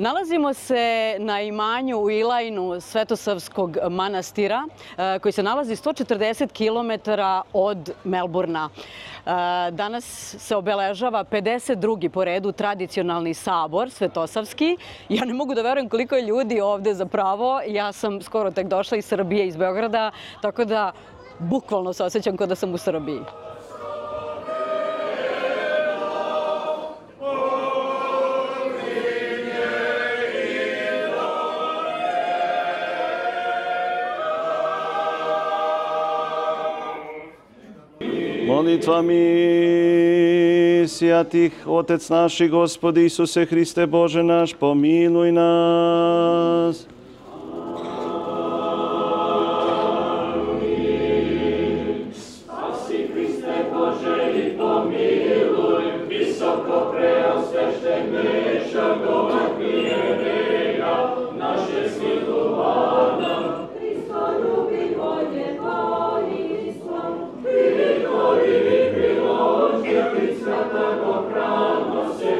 Nalazimo se na imanju u Ilajnu Svetosavskog manastira koji se nalazi 140 km od Melburna. Danas se obeležava 52. po redu tradicionalni sabor Svetosavski. Ja ne mogu da verujem koliko je ljudi ovde zapravo. Ja sam skoro tek došla iz Srbije, iz Beograda, tako da bukvalno se osjećam kao da sam u Srbiji. Molitvami sjatih Otec naši, Gospodi Isuse Hriste Bože naš, pomiluj nas. Spasi Hriste Bože i pomiluj, visoko preosvešteneša Boga naše svilovana. Hristo ljubi volje vojstva, i priložili svetogo pranose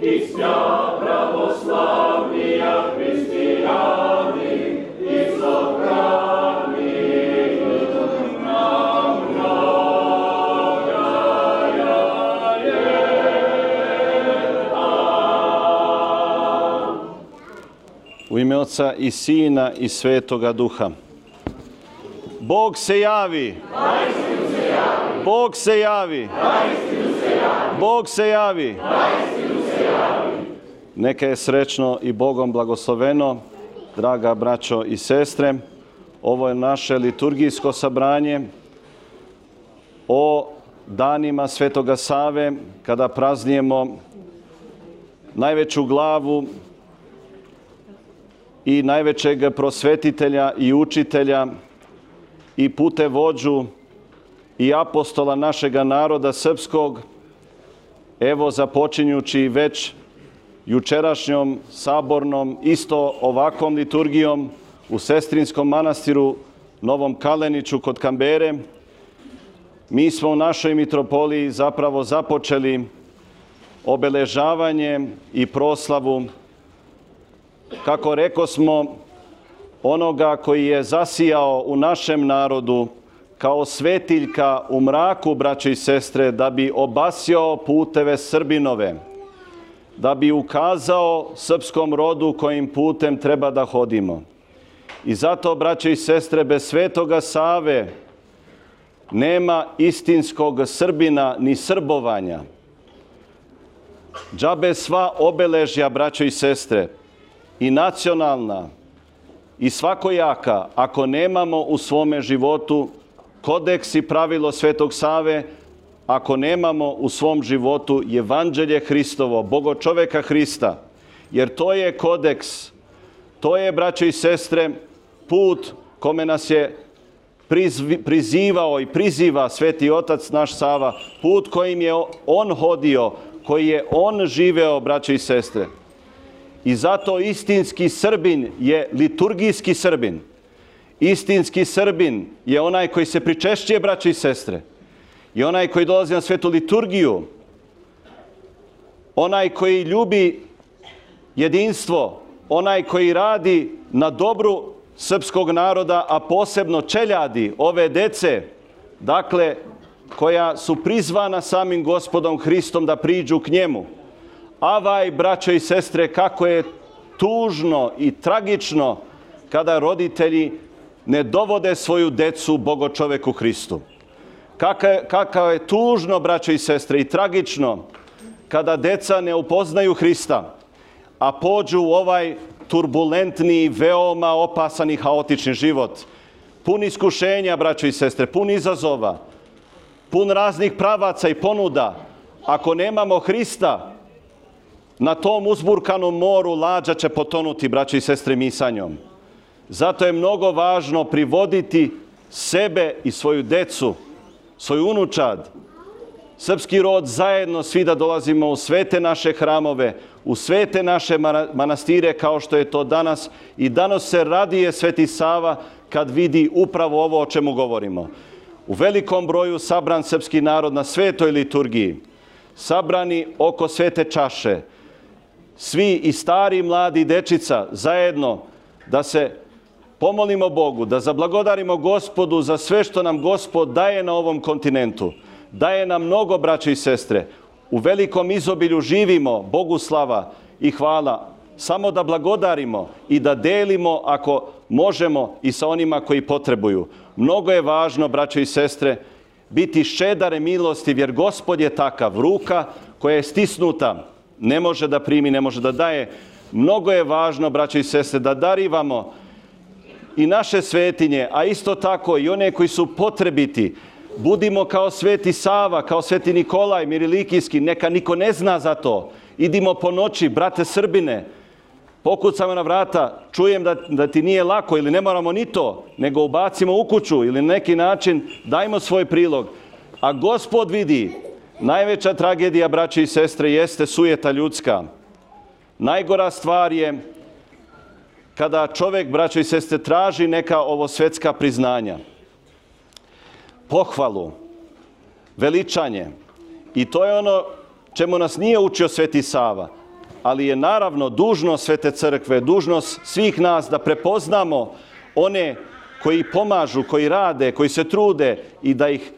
Istina pravoslavnija hристияни, izobrani nam mnogaja ljeta. U ime Oca i Sina i Svetoga Duha. Bog se javi! Bog se javi! Bog se javi! Neka je srećno i Bogom blagosloveno, draga braćo i sestre. Ovo je naše liturgijsko sabranje o danima Svetoga Save, kada praznujemo najveću glavu i najvećeg prosvetitelja i učitelja i putevođu i apostola našega naroda srpskog, evo započinjući već jučerašnjom sabornom, isto ovakvom liturgijom u Sestrinskom manastiru Novom Kaleniću kod Kambere, mi smo u našoj mitropoliji zapravo započeli obeležavanje i proslavu, kako rekosmo, onoga koji je zasijao u našem narodu kao svetiljka u mraku, braće i sestre, da bi obasjao puteve Srbinove, da bi ukazao srpskom rodu kojim putem treba da hodimo. I zato, braće i sestre, bez Svetoga Save nema istinskog Srbina ni srbovanja. Džabe sva obeležja, braćo i sestre, i nacionalna i svakojaka, ako nemamo u svome životu kodeks i pravilo Svetog Save, ako nemamo u svom životu Evanđelje Hristovo, Bogočoveka Hrista, jer to je kodeks, to je, braćo i sestre, put kome nas je prizivao i priziva Sveti Otac naš Sava, put kojim je on hodio, koji je on živeo, braćo i sestre. I zato istinski Srbin je liturgijski Srbin. Istinski Srbin je onaj koji se pričešćuje, braćo i sestre. I onaj koji dolazi na svetu liturgiju. Onaj koji ljubi jedinstvo. Onaj koji radi na dobru srpskog naroda, a posebno čeljadi ove dece, dakle, koja su prizvana samim Gospodom Hristom da priđu k njemu. Avaj, braćo i sestre, kako je tužno i tragično kada roditelji ne dovode svoju decu Bogočoveku Hristu. Kako je tužno, braćo i sestre, i tragično kada deca ne upoznaju Hrista, a pođu u ovaj turbulentni, veoma opasan i haotični život. Pun iskušenja, braćo i sestre, pun izazova, pun raznih pravaca i ponuda. Ako nemamo Hrista, na tom uzburkanom moru lađa će potonuti, braćo i sestre, misanjom. Zato je mnogo važno privoditi sebe i svoju decu, svoju unučad, srpski rod zajedno, svi da dolazimo u svete naše hramove, u svete naše manastire, kao što je to danas. I danas se radije Sveti Sava kad vidi upravo ovo o čemu govorimo. U velikom broju sabran srpski narod na svetoj liturgiji, sabrani oko svete čaše, svi i stari i mladi i dečica zajedno da se pomolimo Bogu, da zablagodarimo Gospodu za sve što nam Gospod daje na ovom kontinentu. Daje nam mnogo, braće i sestre. U velikom izobilju živimo, Bogu slava i hvala. Samo da blagodarimo i da delimo ako možemo i sa onima koji potrebuju. Mnogo je važno, braće i sestre, biti ščedar i milostiv, jer Gospod je takav. Ruka koja je stisnuta ne može da primi, ne može da daje. Mnogo je važno, braće i sestre, da darivamo i naše svetinje, a isto tako i one koji su potrebiti. Budimo kao Sveti Sava, kao Sveti Nikolaj Mirilikijski, neka niko ne zna za to. Idimo po noći, brate Srbine, pokucamo na vrata, čujem da ti nije lako ili ne moramo ni to, nego ubacimo u kuću ili na neki način dajmo svoj prilog. A Gospod vidi, najveća tragedija, braće i sestre, jeste sujeta ljudska. Najgora stvar je kada čovjek, braćo i sestre, traži neka ovo svjetska priznanja, pohvalu, veličanje. I to je ono čemu nas nije učio Sveti Sava, ali je naravno dužnost Svete Crkve, dužnost svih nas da prepoznamo one koji pomažu, koji rade, koji se trude i da ih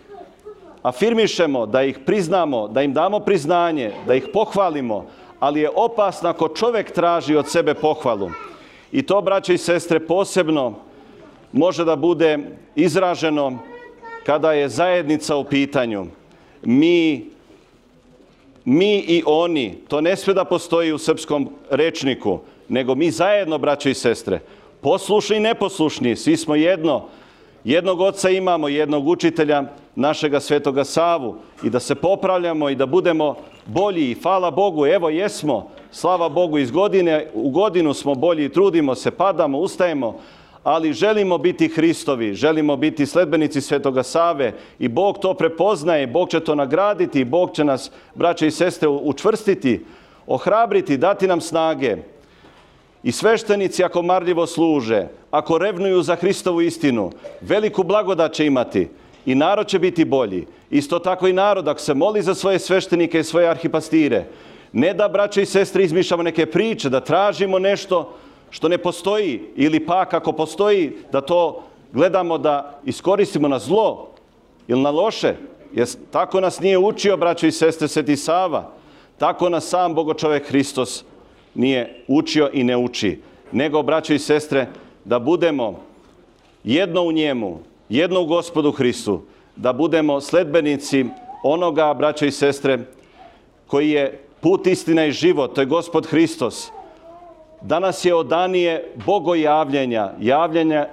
afirmišemo, da ih priznamo, da im damo priznanje, da ih pohvalimo, ali je opasno ako čovjek traži od sebe pohvalu. I to, braće i sestre, posebno može da bude izraženo kada je zajednica u pitanju. Mi i oni, to ne smije da postoji u srpskom rečniku, nego mi zajedno, braće i sestre, poslušni i neposlušni, svi smo jedno. Jednog oca imamo, jednog učitelja, našega Svetoga Savu, i da se popravljamo i da budemo bolji. I hvala Bogu, evo jesmo, slava Bogu, iz godine u godinu smo bolji, trudimo se, padamo, ustajemo, ali želimo biti Hristovi, želimo biti sledbenici Svetoga Save i Bog to prepoznaje, Bog će to nagraditi, Bog će nas, braće i sestre, učvrstiti, ohrabriti, dati nam snage. I sveštenici, ako marljivo služe, ako revnuju za Hristovu istinu, veliku blagodat će imati i narod će biti bolji. Isto tako i narod, ako se moli za svoje sveštenike i svoje arhipastire, ne da, braće i sestre, izmišljamo neke priče, da tražimo nešto što ne postoji, ili pak ako postoji, da to gledamo da iskoristimo na zlo ili na loše. Jer tako nas nije učio, braće i sestre, Sveti Sava. Tako nas sam Bogočovek Hristos nije učio i ne uči. Nego, braće i sestre, da budemo jedno u njemu, jedno u Gospodu Hristu, da budemo sledbenici onoga, braće i sestre, koji je put, istina i život, to je Gospod Hristos. Danas je odanije bogojavljenja,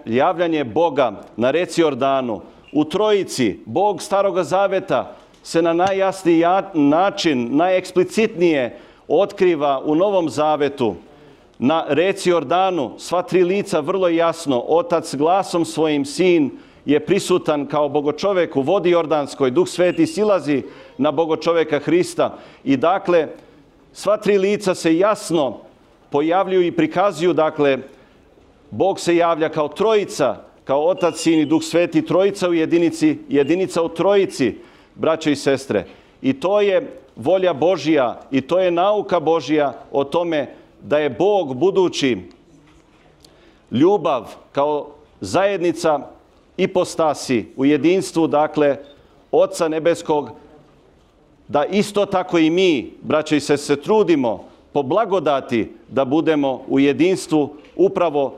javljanje Boga na reci Jordanu. U Trojici, Bog Staroga Zaveta se na najjasniji način, najeksplicitnije otkriva u Novom Zavetu. Na reci Jordanu sva tri lica vrlo jasno, Otac glasom svojim, Sin je prisutan kao Bogočovek u vodi Jordanskoj, Duh Sveti silazi na Bogočoveka Hrista. I dakle, sva tri lica se jasno pojavljuju i prikazuju, dakle, Bog se javlja kao Trojica, kao Otac, Sin i Duh Sveti, Trojica u jedinici, jedinica u Trojici, braće i sestre. I to je volja Božja i to je nauka Božja o tome da je Bog budući ljubav kao zajednica ipostasi u jedinstvu, dakle, Oca Nebeskog, da isto tako i mi, braće i sestre, se trudimo po blagodati da budemo u jedinstvu upravo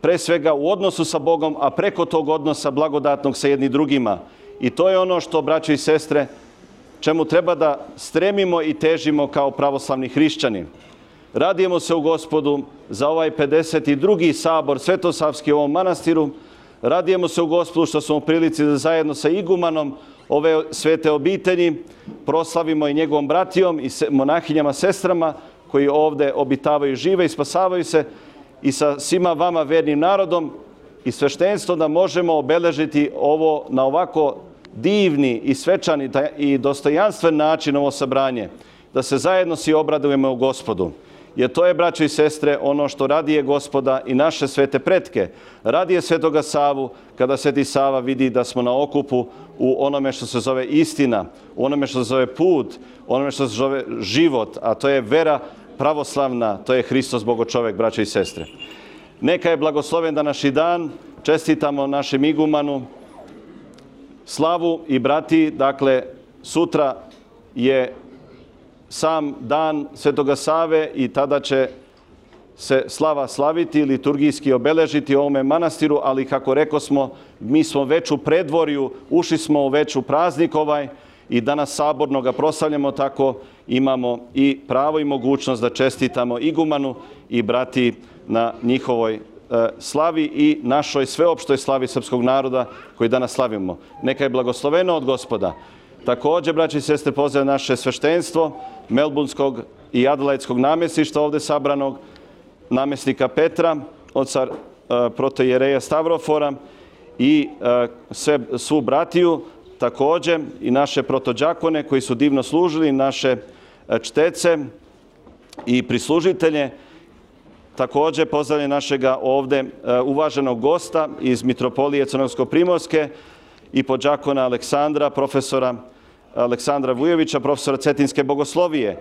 pre svega u odnosu sa Bogom, a preko tog odnosa blagodatnog sa jedni drugima. I to je ono što, braće i sestre, čemu treba da stremimo i težimo kao pravoslavni hrišćani. Radujemo se u Gospodu za ovaj 52. sabor Svetosavski u ovom manastiru. Radujemo se u Gospodu što smo u prilici da zajedno sa igumanom ove svete obitelji proslavimo i njegovom bratijom i monahinjama, sestrama koji ovdje obitavaju, žive i spasavaju se, i sa svima vama vernim narodom i sveštenstvom, da možemo obeležiti ovo na ovako divni i svečani i dostojanstven način, ovo sabranje, da se zajedno svi obradujemo u Gospodu. Jer to je, braćo i sestre, ono što radije Gospoda i naše svete pretke. Radije Svetoga Savu kada Sveti Sava vidi da smo na okupu u onome što se zove istina, u onome što se zove put, u onome što se zove život, a to je vera pravoslavna, to je Hristos Bogočovek, braće i sestre. Neka je blagosloven današnji dan, čestitamo našem igumanu slavu i brati, dakle sutra je sam dan Svetoga Save i tada će se slava slaviti, liturgijski obeležiti u ovome manastiru, ali kako rekosmo, mi smo već u predvorju, ušli smo već u praznik ovaj i danas saborno ga proslavljamo, tako imamo i pravo i mogućnost da čestitamo igumanu i brati na njihovoj slavi i našoj sveopštoj slavi srpskog naroda koji danas slavimo. Neka je blagosloveno od Gospoda. Također, braći i sestre, pozdravljam naše sveštenstvo Melburnskog i Adelaidskog namjesništva ovdje sabranog, namjesnika Petra, oca protoijereja Stavrofora i svu bratiju, također i naše protođakone koji su divno služili, naše čtece i prislužitelje. Također pozdravljam našega ovdje uvaženog gosta iz Mitropolije Crnogorsko-primorske i podđakona Aleksandra, profesora Aleksandra Vujovića, profesora Cetinske bogoslovije,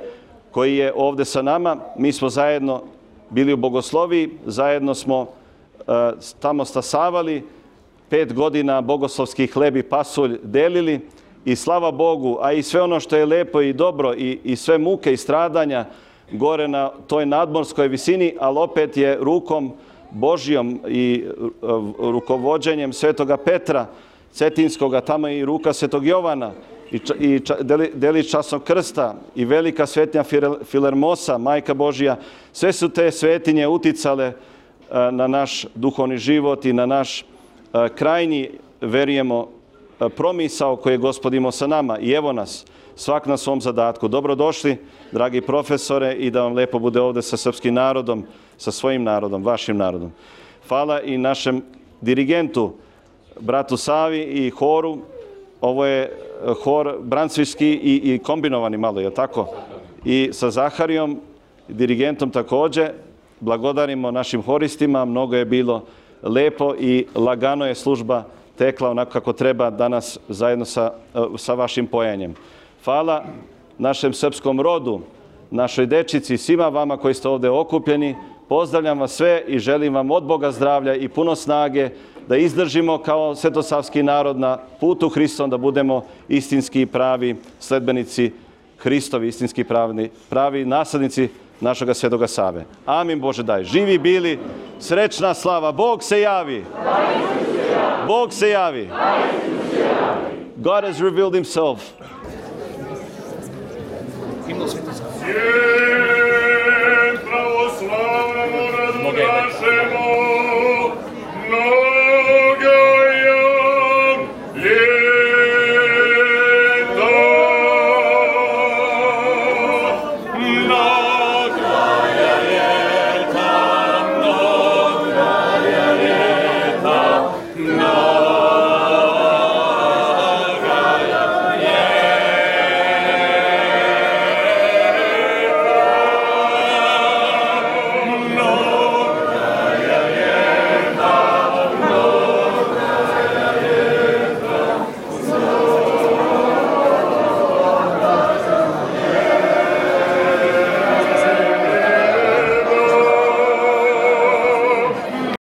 koji je ovdje sa nama. Mi smo zajedno bili u bogosloviji, zajedno smo tamo stasavali, 5 godina bogoslovski hleb i pasulj delili i slava Bogu, a i sve ono što je lepo i dobro i sve muke i stradanja gore na toj nadmorskoj visini, ali opet je rukom Božjom i rukovođenjem Svetoga Petra Cetinskoga, tamo je i ruka Svetog Jovana i delić časnog krsta i velika svetnja Filermosa, Majka Božja. Sve su te svetinje uticale na naš duhovni život i na naš krajnji, verujemo, promisao koji je Gospod imao sa nama. I evo nas, svak na svom zadatku. Dobrodošli, dragi profesore, i da vam lepo bude ovdje sa srpskim narodom, sa svojim narodom, vašim narodom. Hvala i našem dirigentu, bratu Savi i horu. Ovo je hor brancviški i kombinovani malo, je tako? I sa Zaharijom, dirigentom također. Blagodarimo našim horistima, mnogo je bilo lepo i lagano je služba tekla onako kako treba danas zajedno sa vašim pojanjem. Hvala našem srpskom rodu, našoj dečici, svima vama koji ste ovdje okupljeni. Pozdravljam vas sve i želim vam od Boga zdravlja i puno snage da izdržimo kao svetosavski narod na putu Hristom, da budemo istinski pravi sledbenici Hristovi, istinski pravi naslednici našega Svetoga Save. Amin, Bože daj. Živi bili, srećna slava. Bog se javi. Bog se javi. God has revealed himself. Svijet pravoslavnom rodu našem,